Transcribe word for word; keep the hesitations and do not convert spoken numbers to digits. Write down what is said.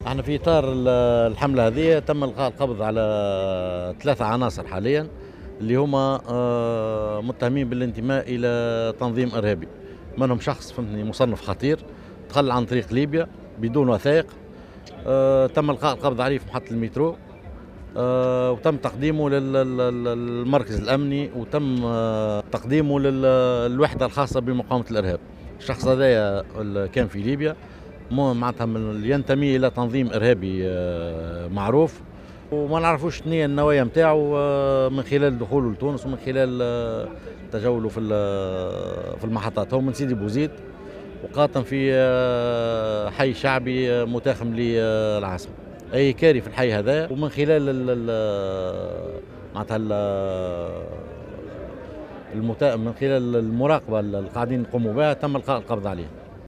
احنا في اطار الحملة هذه تم القاء القبض على ثلاثة عناصر حاليا اللي هما آه، متهمين بالانتماء الى تنظيم ارهابي، منهم شخص فهمتني مصنف خطير دخل عن طريق ليبيا بدون وثائق، آه، تم القاء القبض عليه في محطة المترو آه، وتم تقديمه للمركز الامني وتم تقديمه للوحدة الخاصة بمقاومه الارهاب. الشخص هذايا كان في ليبيا، معناتها ينتمي الى تنظيم ارهابي معروف، وما نعرفوش شنو هي النوايا نتاعو آه، من خلال دخوله لتونس ومن خلال آه، تجوله في في المحطات. هو من سيدي بوزيد وقاطن في آه، حي شعبي متاخم للعاصمه، اي كاري في الحي هذا. ومن خلال معناتها المتا... من خلال المراقبة اللي قاعدين نقوموا بها تم القاء القبض عليه.